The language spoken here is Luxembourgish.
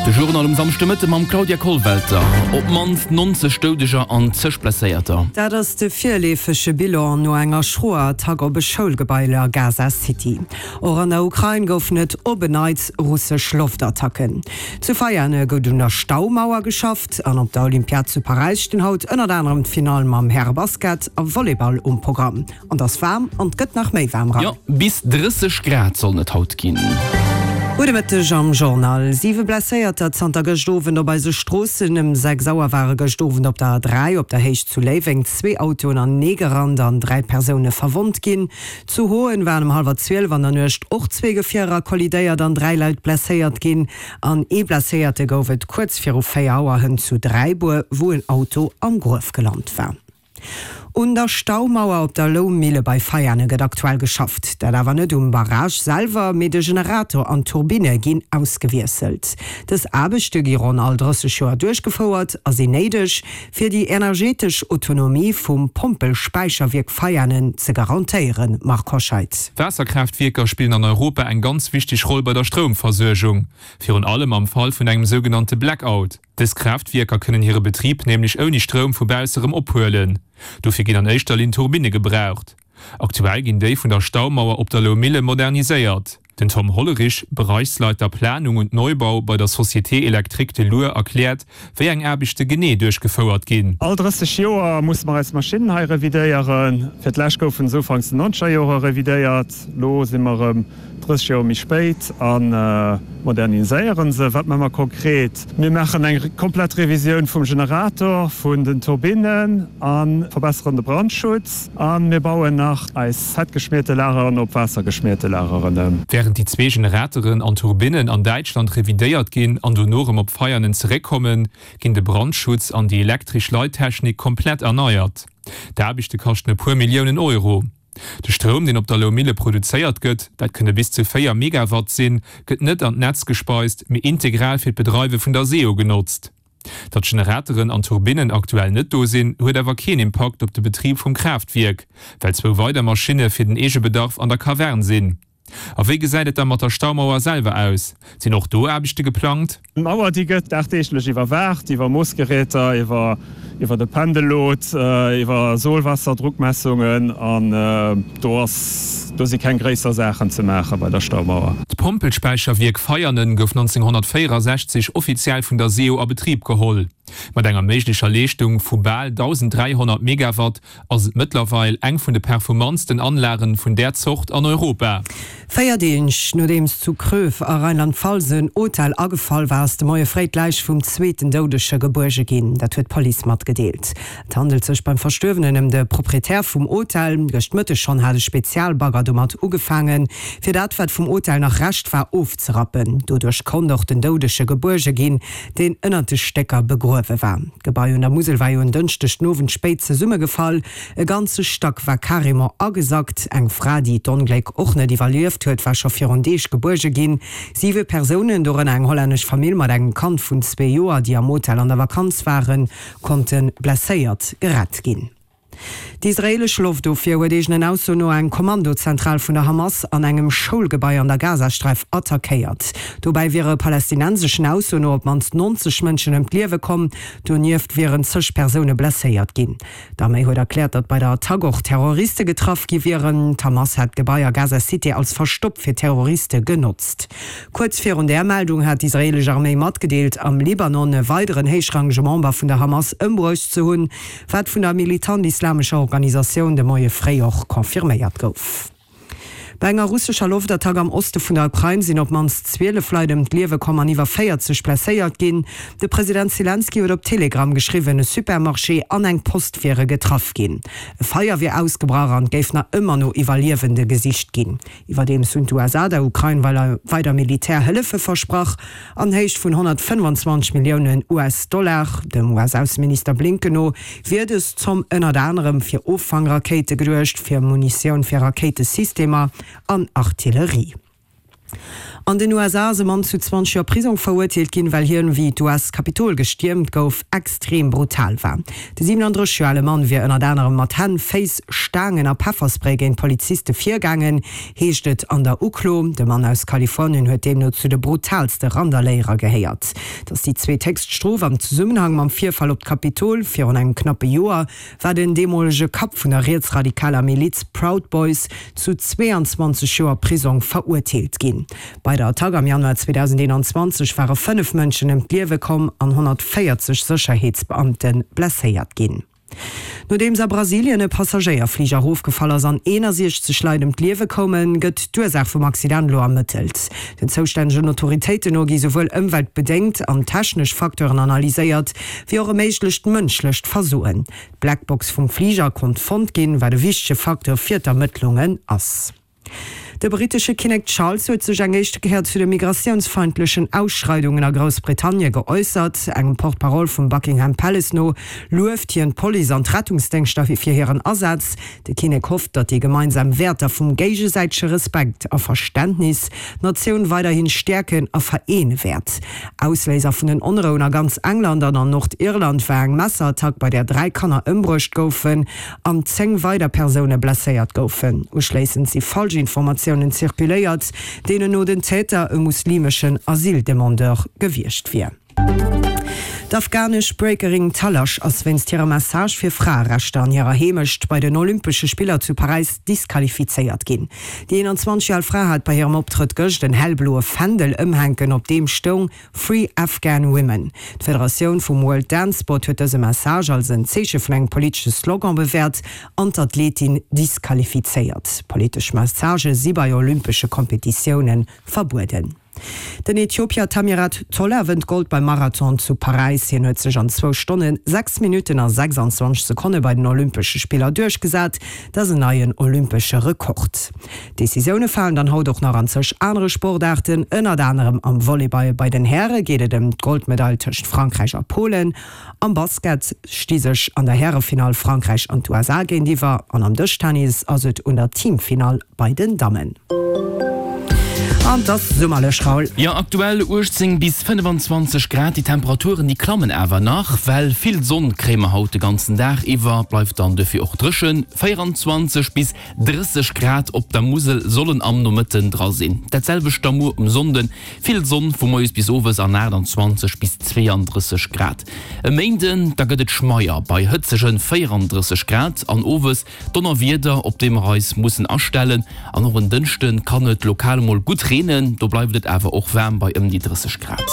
De Journal um Samschdemëtte mam Claudia Kollwelter. Op d'mannst 90 Doudeger an zeg Blesséierter. Dat ass de virleefege Bilan no enger schroer Attack op e Schoulgebai a Gaza City. Och an der Ukrain goufen et op en Neits russesch Loftattacken. Zu Veiane gouf un der Staumauer geschafft an op der Olympiad zu Paräis stinn haut ënnert anerem d'Finall mam Härebasket a Volleyball um Programm. An 't ass waarm an 't gëtt nach méi waarm ran. Jo, bis 30 Grad sollen et haut ginn. Gudde Mëtteg am Journal. Siwe Blesséierter zanter gëscht Owend op eise Stroossen. Ëm 6 Auer ware gëscht Owend op der A3 op der Héicht zu Léiweng zwee Autoen aneegerannt an 3 Persoune verwonnt ginn. Zu Hoen waren ëm hallwer 12 an der Nuecht och zwee Gefierer kollidéiert an 3 Leit blesséiert ginn. An ee Blesséierte gouf et kuerz viru 4 Auer hënt zu Dräibuer, wou en Auto am Gruef gelant war. Un der Staumauer op der Loumille bei Veiane gëtt aktuell geschafft. Dat awer net um Barrage selwer, mee de Generator an d'Turbinne ginn ausgewiesselt. Dës Aarbechte gi ronn all 30 Joer duerchgefouert a sinn néideg, fir déi energetesch Autonomie vum Pompelspäicherwierk Veianen ze garantéieren. Marc Hoscheid. Waasserkraaftwierker spillen an Europa eng ganz wichteg Roll bei der Stroumversuergung, virun allem am Fall vun engem sougenannte Blackout. Dës Kraaftwierker kënnen hire Betrib nämlech ouni Stroum vu bausse rëm ophuelen. Dofir ginn an éischter Linn Turbinne gebraucht. Aktuell ginn déi vun der Staumauer op der Loumille moderniséiert. Den Tom Hollerich, Bereichsleiter Planung und Neubau bei der Société Électrique de l'Our erkläert, wéi eng Aarbechte genee duerchgefouert ginn. All 30 Joer musse mer eis Maschinnen hei revidéieren. Fir d'lescht goufen se ufanks den nonzeger Jore revidéiert. Lo si mer erëm 30 Joer méi spéit a moderniséiere se. Wat maache mer konkret? Mir maachen eng komplett Revisioun vum Generator, vun den Turbinnen a verbesseren de Brandschutz. A mir bauen nach eis fettgeschmierte Lageren op waassergeschmierte Lageren ëm. Wärend déi zwee Generateren an Turbinnen an Däitschland revidéiert ginn an dono erëm op Veianen zeréckkommen, ginn de Brandschutz an déi elektresch Leittechnik komplett erneiert. D'Aarbechte kaschten e puer Milliounen Euro. De Stroum, deen op der Loumille produzéiert gëtt, dat kënne bis zu 4 Megawatt sinn, gëtt net an d'Netz gespeist, mee integral fir d'Bedreiwe vun der SEO genotzt. Datt Generateren an Turbinnen aktuell net do sinn, huet awer keen Impakt op de Betrib vum Kraaftwierk, well zwou weider Maschinne fir den Eegebedarf an der Kavern sinn. A wéi gesäit et da mat der Staumauer selwer aus? Sinn och do Aarbechte geplangt? D'Mauer, déi gëtt dagdeeglech iwwerwaacht, iwwer Moossgeräter, iwwer iwwer de Pendellot, iwwer Sohlwasserdruckmessungen an do ass, do si keng gréisser Saachen ze maache bei der Staumauer. D'Pompelspäicherwierk Veianen gouf 1964 offiziell vun der SEO a Betrib geholl. Mat enger méiglecher Leeschtung vu bal 1.300 Megawatt ass et mëttlerweil eng vun de performantsten Anlagen vun där Zort an Europa. Véier Deeg nodeems zu Kröv a Rheinland-Pfalz en Hotel agefall war, ass de Moie fréi d'Läich vum zweeten Doudege gebuerge ginn. Dat huet d'Police matgedeelt. Et handelt sech beim Verstuerwenen ëm de Proprietär vum Hotel. Gëscht Mëtteg schonn hat e Spezialbagger domat ugefaangen, fir dat, wat vum Hotel nach Rescht war, ofzerappen. Doduerch konnt och den Doudege gebuerge ginn, deen ënnert de Stécker begruewe war. D'Gebai un der Musel war jo en Dënschdeg den Owend spéit zesummegefall. E ganze Stack war carrément agesackt. Eng Fra, déi d'Ongléck och net iwwerlieft huet, war scho virun Deeg gebuerge ginn. Siwe Persounen, dorënner eng hollännesch Famill mat engem Kand vun zwee Joer, déi am Hotel an der Vakanz waren, konnte blesséiert gerett ginn. D'israeelesch Loftofwier huet eegenen Aussoen no eng Kommandozentral vun der Hamas an engem Schoulgebai an der Gazasträif attackéiert. Dobäi wiere palästinenseschen Aussoen no op d'mannst 90 Mënschen ëm d'Liewe komm, donieft wieren zeg Persoune blesséiert ginn. D'Arméi huet erkläert, datt bei der Attack och Terroriste getraff gi wieren. D'Hamas hat d'Gebai a Gaza City als Verstopp fir Terroriste genotzt. Kuerz virun där Meldung hat d'israeelesch Arméi matgedeelt, am Libanon e weideren héichrangege Member vun der Hamas ëmbruecht ze hunn. Wat vun der militant-islamescher Organisatioun de Moie fréi och confirméiert gouf. Bei enger russescher Loftattack am Oste vun der Ukrain sinn op d'mannst 12 Leit ëm d'Liewe komm an iwwer 40 blesséiert ginn. De President Selenskyj huet op Telegram geschriwwen, e Supermarché an eng Post wiere getraff ginn. E Feier wier ausgebrach an et géif nach ëmmer no Iwwerliewende gesicht ginn. Iwwerdeems hunn d'USA der Ukrain weider Militärhëllefe versprach, an Héicht vun 125 Milliounen US-Dollar. Dem US-Ausseminister Blinken no wier dës Zomm ënnert anerem fir Offangrakéite geduecht, fir Munitioun fir Rakéitesystemer an Artillerie. An den USA ass e Mann zu 20 Joer Prisong verurteelt ginn, well hien, wéi d'US-Kapitol gestiermt gouf, extrem brutal war. De 37 Joer ale Mann wier ënnert anerem mat Hänn, Féiss, Staangen a Pefferspray géint Poliziste virgaangen, heescht et an der Uklo. De Mann aus Kalifornien huet deemno zu de brutaalste Randaléierer gehéiert. Et ass déi zweethéchst Strof am Zesummenhang mam Virfall op d'Kapitol virun engem knappe Joer. war den deemolege Kapp vun der rietsradikaler Miliz Proud Boys zu 22 Joer Prisong verurteelt ginn. Bei der Attack am Januar 2021 ware 5 Mënschen ëm d'Liewe komm an 140 Sécherheetsbeamte blesséiert ginn. Nodeems a Brasilien e Passagéierfliger erofgefall ass an 61 Leit ëm d'Liewe koumen, gëtt d'Ursaach vum Accident elo ermëttelt. Den zoustännegen Autoritéiten no gi souwuel ëmweltbedéngt an technesch Facteuren analyséiert, wéi och e méiglecht mënschlecht Versoen. D'Blackbox vum Fliger konnt fonnt ginn, wat e wichtege Facteur fir d'Ermëttlungen ass. De brittesche Kinnek Charles huet sech eng éischte Kéier zu de migratiounsfeindlechen Ausschreidungen a Groussbritannie geäussert. Engem Porte-parole vum Buckingham Palace no lueft hien d'Police an d'Rettungsdéngschter fir hiren Asaz. De Kinnek hofft, datt déi gemeinsam Wäerter vum géigesäitege Respekt a Verständnis d'Natioun weiderhi stäerken a vereene wäert. Ausléiser vun den Onrouen a ganz England an an Nordirland war eng Messerattack, bei där 3 Kanner ëmbruecht goufen an 10 weider Persoune blesséiert goufen. Uschléissend si Falschinformatiounen zirkuléiert, deenen no den Täter e muslimeschen Asyldemandeur gewiescht wier. D'afghanesch Breakerin Talash ass wéinst hirer Message fir Fraerechter an hirer Heemecht bei den Olympesche Spiller zu Paräis disqualifizéiert ginn. Déi 21 Joer al Fra hat bei hirem Optrëtt gëscht en hellbloe Fändel ëmhänken, op deem stoung Free Afghan Women. D'Federatioun vum World Dance Sport huet dëse Message als en Zeeche vun engem politesche Slogan bewäert an d'Athletin disqualifizéiert. Politesch Messagë si bei olympesche Kompetitioune verbueden. Den Äthiopier Tamirat Tola wënnt Gold beim Marathon zu Paräis. Hien huet sech an zwou Stonnen, 6 Minutten a 26 Sekonne bei den Olympesche Spiller duerchgesat. Dat ass en neien olympesche Rekord. Decisioune falen dann haut och nach an zeg anere Sportaarten, ënnert anerem am Volleyball. Bei den Häre geet et ëm d'Goldmedail tëscht Frankräich a Polen. Am Basket sti sech an der Härefinall Frankräich an d'USA géintiwwer an am Dëschtennis ass et un der Teamfinall bei den Dammen. An 't ass summerlech, Raoul. Jo, aktuell 18 bis 25 Grad. Déi Temperaturen, déi klammen awer nach, well vill Sonn kréie mer haut de ganzen Dag iwwer. Bleift dann dofir och dréchen, 24 bis 30 Grad op der Musel sollen am Nomëtten dra sinn. Dat selwecht da muer um Sonnden, vill Sonn vu moies bis owes an 28 bis 32 Grad. E Méinden da gëtt et schmeier bei hëtzege 34 Grad an owes Donnerwieder, op déi mer eis mussen astellen. An och en Dënschde kann et lokal mol gutt reenen, do bleift et awer och waarm bei ëm déi 30 Grad.